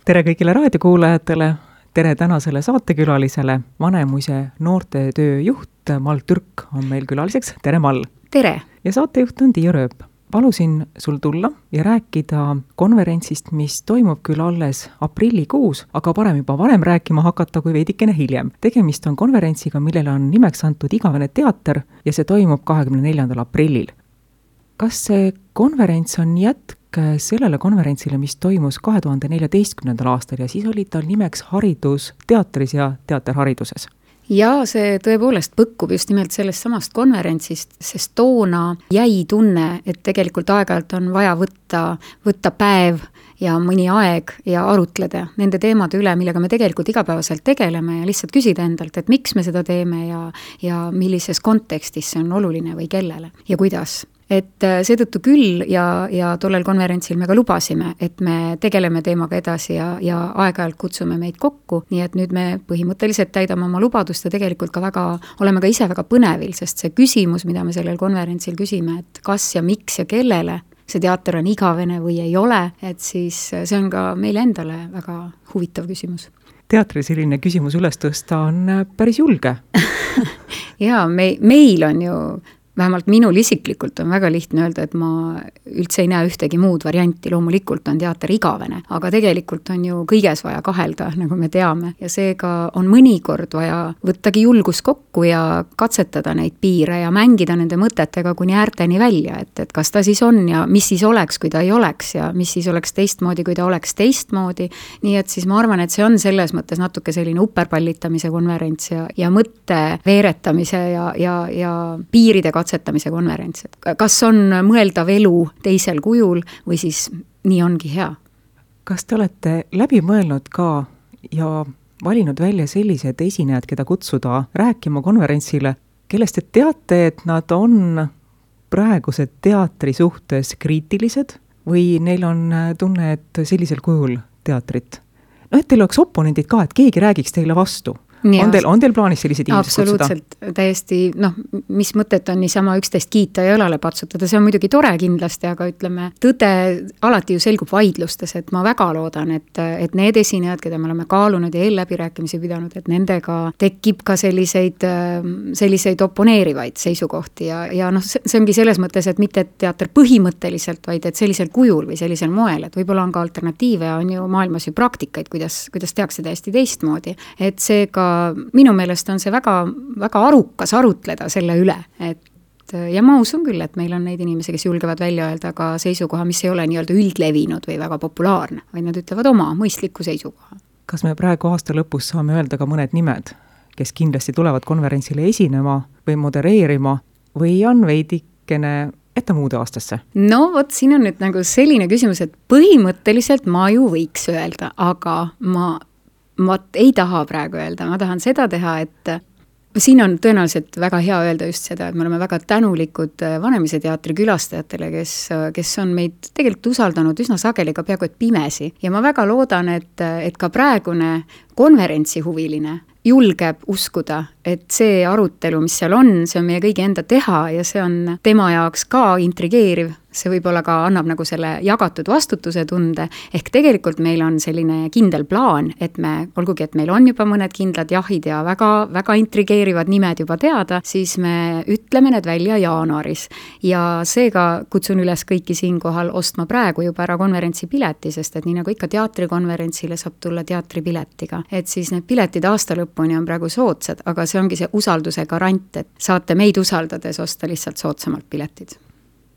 tere kõigile raadiokuulajatele, tere tänasele saatekülalisele, Vanemuise noortetöö juht Mall Türk on meil külaliseks, tere Mall! Tere! Ja saatejuht on Tiia Rööp. Palusin sul tulla ja rääkida konverentsist, mis toimub küll alles aprillikuus, aga parem juba varem rääkima hakata kui veidikene hiljem. Tegemist on konverentsiga, millele on nimeks antud Igavene teater ja see toimub 24. aprillil. Kas see konverents on jätk sellele konverentsile, mis toimus 2014. aastal ja siis oli tal nimeks Haridus teatris ja teaterhariduses? Ja see tõepoolest põkkub just nimelt sellest samast konverentsist, sest toona jäi tunne, et tegelikult aeg-ajalt on vaja võtta päev ja mõni aeg ja arutleda nende teemade üle, millega me tegelikult igapäevaselt tegeleme ja lihtsalt küsida endalt, et miks me seda teeme ja millises kontekstis see on oluline või kellele ja kuidas. Et seetõttu küll ja tollel konverentsil me ka lubasime, et me tegeleme teemaga edasi ja aeg-ajalt kutsume meid kokku, nii et nüüd me põhimõtteliselt täidame oma lubadust ja tegelikult oleme ka ise väga põnevil, sest see küsimus, mida me sellel konverentsil küsime, et kas ja miks ja kellele see teater on igavene või ei ole, et siis see on ka meile endale väga huvitav küsimus. Teatri selline küsimus üles tõsta on päris julge. Jaa, meil on ju vähemalt minul isiklikult on väga lihtne öelda, et ma üldse ei näe ühtegi muud varianti, loomulikult on teater igavene, aga tegelikult on ju kõiges vaja kahelda, nagu me teame, ja seega on mõnikord vaja võttagi julgus kokku ja katsetada neid piire ja mängida nende mõtetega kuni äärteni välja, et kas ta siis on ja mis siis oleks, kui ta ei oleks ja mis siis oleks teistmoodi, kui ta oleks teistmoodi, nii et siis ma arvan, et see on selles mõttes natuke selline uperpallitamise konverents ja mõtte veeretamise ja piiride katsetamise konverents. Kas on mõeldav elu teisel kujul või siis nii ongi hea? Kas te olete läbi mõelnud ka ja valinud välja sellised esinejad, keda kutsuda rääkima konverentsile, kellest te teate, et nad on praeguse teatri suhtes kriitilised või neil on tunne, et sellisel kujul teatrit? No, et teil oleks oponendid ka, et keegi räägiks teile vastu. On teil plaanis sellised inimesed kutsuda? Absoluutselt, täiesti, mis mõtet on niisama üksteist kiita ja õlale patsutada, see on muidugi tore kindlasti, aga ütleme, tõde alati ju selgub vaidlustes, et ma väga loodan, et need esinejad, keda me oleme kaalunud ja eelläbirääkimisi pidanud, et nendega tekib ka selliseid oponeerivaid seisukohti ja see ongi selles mõttes, et mitte teater põhimõtteliselt, vaid et sellisel kujul või sellisel moel, et võib-olla on ka alternatiive, on ju maailmas ju praktikaid, kuidas tehakse täiesti teistmoodi, et seega minu meelest on see väga, väga arukas arutleda selle üle, ja ma usun küll, et meil on neid inimesi, kes julgevad välja öelda ka seisukoha, mis ei ole nii-öelda üldlevinud või väga populaarne, vaid nad ütlevad oma mõistliku seisukoha. Kas me praegu aasta lõpus saame öelda ka mõned nimed, kes kindlasti tulevad konverentsile esinema või modereerima või on veidikene ette muude aastasse? No vot, siin on nüüd nagu selline küsimus, et põhimõtteliselt ma ju võiks öelda, aga ma ei taha praegu öelda, ma tahan seda teha, et siin on tõenäoliselt väga hea öelda just seda, et me oleme väga tänulikud Vanemuise teatri külastajatele, kes on meid tegelikult usaldanud üsna sageli ka peaaegu et pimesi. Ja ma väga loodan, et ka praegune konverentsihuviline julgeb uskuda, et see arutelu, mis seal on, see on meie kõigi enda teha ja see on tema jaoks ka intrigeeriv. See võib-olla ka annab nagu selle jagatud vastutuse tunde, ehk tegelikult meil on selline kindel plaan, et olgugi, et meil on juba mõned kindlad jahid ja väga, väga intrigeerivad nimed juba teada, siis me ütleme need välja jaanuaris. Ja seega kutsun üles kõiki siinkohal ostma praegu juba ära konverentsi pileti, sest et nii nagu ikka teatrikonverentsile saab tulla teatripiletiga. Et siis need piletid aasta lõpuni on praegu soodsad, aga see ongi see usalduse garant, et saate meid usaldades osta lihtsalt soodsamalt piletid.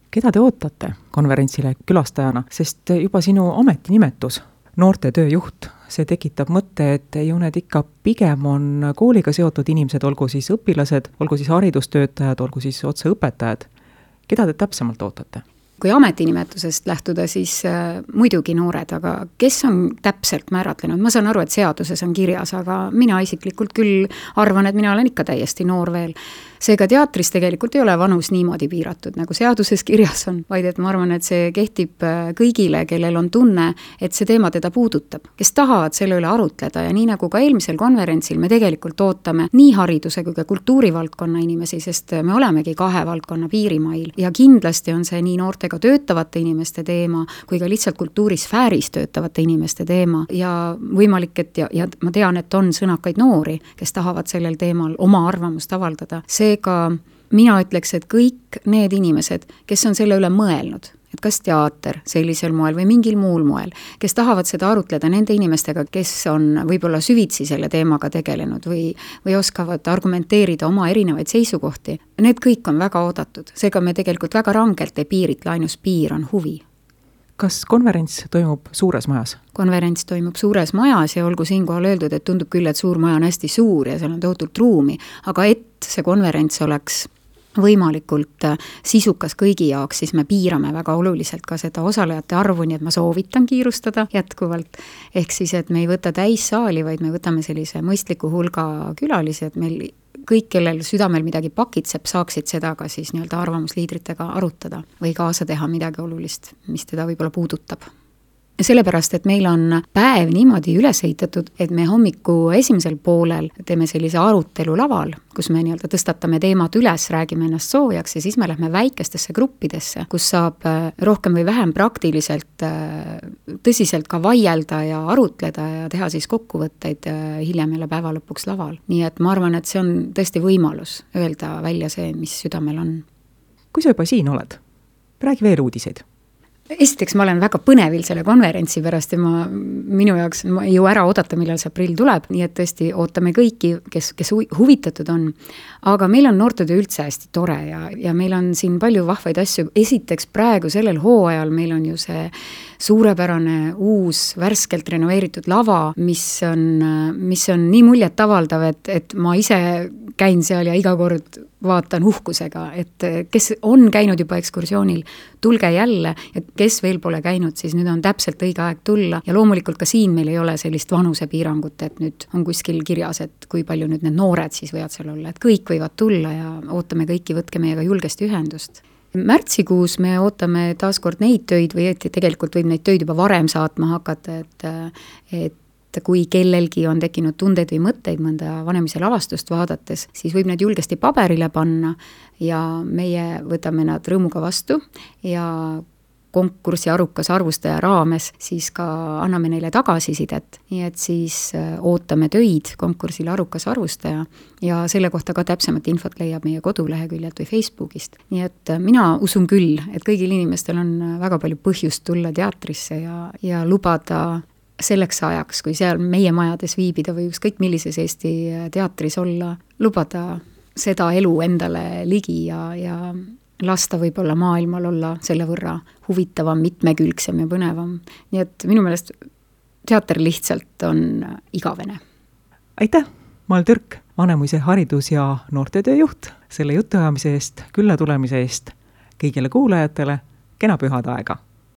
Keda te ootate konverentsile külastajana, sest juba sinu ametinimetus, noortetöö juht, see tekitab mõtte, et ju need ikka pigem on kooliga seotud inimesed, olgu siis õpilased, olgu siis haridustöötajad, olgu siis otse õpetajad. Keda te täpsemalt ootate? Kui ametinimetusest lähtuda, siis muidugi noored, aga kes on täpselt määratlenud? Ma saan aru, et seaduses on kirjas, aga mina isiklikult küll arvan, et mina olen ikka täiesti noor veel. Seega teatris tegelikult ei ole vanus niimoodi piiratud, nagu seaduses kirjas on, vaid et ma arvan, et see kehtib kõigile, kellel on tunne, et see teema teda puudutab, kes tahavad selle üle arutleda ja nii nagu ka eelmisel konverentsil me tegelikult ootame nii hariduse kui ka kultuurivaldkonna inimesi, sest me olemegi 2 valdkonna piirimail ja kindlasti on see nii noorte inimestega töötavate inimeste teema, kui ka lihtsalt kultuurisfääris töötavate inimeste teema ja võimalik, et ja ma tean, et on sõnakaid noori, kes tahavad sellel teemal oma arvamust avaldada. Seega mina ütleks, et kõik need inimesed, kes on selle üle mõelnud, et kas teater sellisel moel või mingil muul moel, kes tahavad seda arutleda nende inimestega, kes on võib-olla süvitsi selle teemaga tegelenud või oskavad argumenteerida oma erinevaid seisukohti, need kõik on väga oodatud. Seega me tegelikult väga rangelt ei piiritle, ainus piir on huvi. Kas konverents toimub suures majas? Konverents toimub suures majas ja olgu siinkohal öeldud, et tundub küll, et suur maja on hästi suur ja seal on tohutult ruumi, aga et see konverents oleks võimalikult sisukas kõigi jaoks, siis me piirame väga oluliselt ka seda osalejate arvu, nii et ma soovitan kiirustada jätkuvalt. Ehk siis, et me ei võta täissaali, vaid me võtame sellise mõistliku hulga külalisi, et meil kõik, kellel südamel midagi pakitseb, saaksid seda ka siis nii-öelda arvamusliidritega arutada või kaasa teha midagi olulist, mis teda võib-olla puudutab. Sellepärast, et meil on päev niimoodi üles ehitatud, et me hommiku esimesel poolel teeme sellise arutelu laval, kus me nii-öelda tõstatame teemad üles, räägime ennast soojaks ja siis me lähme väikestesse gruppidesse, kus saab rohkem või vähem praktiliselt tõsiselt ka vaielda ja arutleda ja teha siis kokkuvõtteid hiljem jälle päeva lõpuks laval. Nii et ma arvan, et see on tõesti võimalus öelda välja see, mis südamel on. Kui sa juba siin oled, räägi veel uudiseid. Esiteks ma olen väga põnevil selle konverentsi pärast ja minu jaoks ma ei jõua ära oodata, millal see aprill tuleb, nii et tõesti ootame kõiki, kes huvitatud on. Aga meil on noortetöö üldse hästi tore ja meil on siin palju vahvaid asju. Esiteks praegu sellel hooajal meil on ju see suurepärane uus värskelt renoveeritud lava, mis on nii muljet avaldav, et ma ise käin seal ja iga kord vaatan uhkusega, et kes on käinud juba ekskursioonil, tulge jälle, et kes veel pole käinud, siis nüüd on täpselt õige aeg tulla ja loomulikult ka siin meil ei ole sellist vanusepiirangut, et nüüd on kuskil kirjas, et kui palju nüüd need noored siis võivad seal olla, et kõik võivad tulla ja ootame kõiki, võtke meiega julgesti ühendust. Märtsikuus me ootame taaskord neid töid või tegelikult võib neid töid juba varem saatma hakata, et kui kellelgi on tekkinud tundeid või mõtteid mõnda vanemise lavastust vaadates, siis võib need julgesti paberile panna ja meie võtame nad rõõmuga vastu ja konkursi arukas arvustaja raames siis ka anname neile tagasisidet. Nii et siis ootame töid konkursil arukas arvustaja ja selle kohta ka täpsemat infot leiab meie koduleheküljelt või Facebookist. Nii et mina usun küll, et kõigil inimestel on väga palju põhjust tulla teatrisse ja lubada selleks ajaks, kui seal meie majades viibida või ükskõik millises Eesti teatris olla, lubada seda elu endale ligi ja lasta võib-olla maailmal olla selle võrra huvitavam, mitmekülgsem ja põnevam. Nii et minu meelest teater lihtsalt on igavene. Aitäh, Mall Türk, Vanemuise haridus- ja noortetöö juht, selle jutuajamise eest, külla tulemise eest kõigile kuulajatele, kena pühade aega!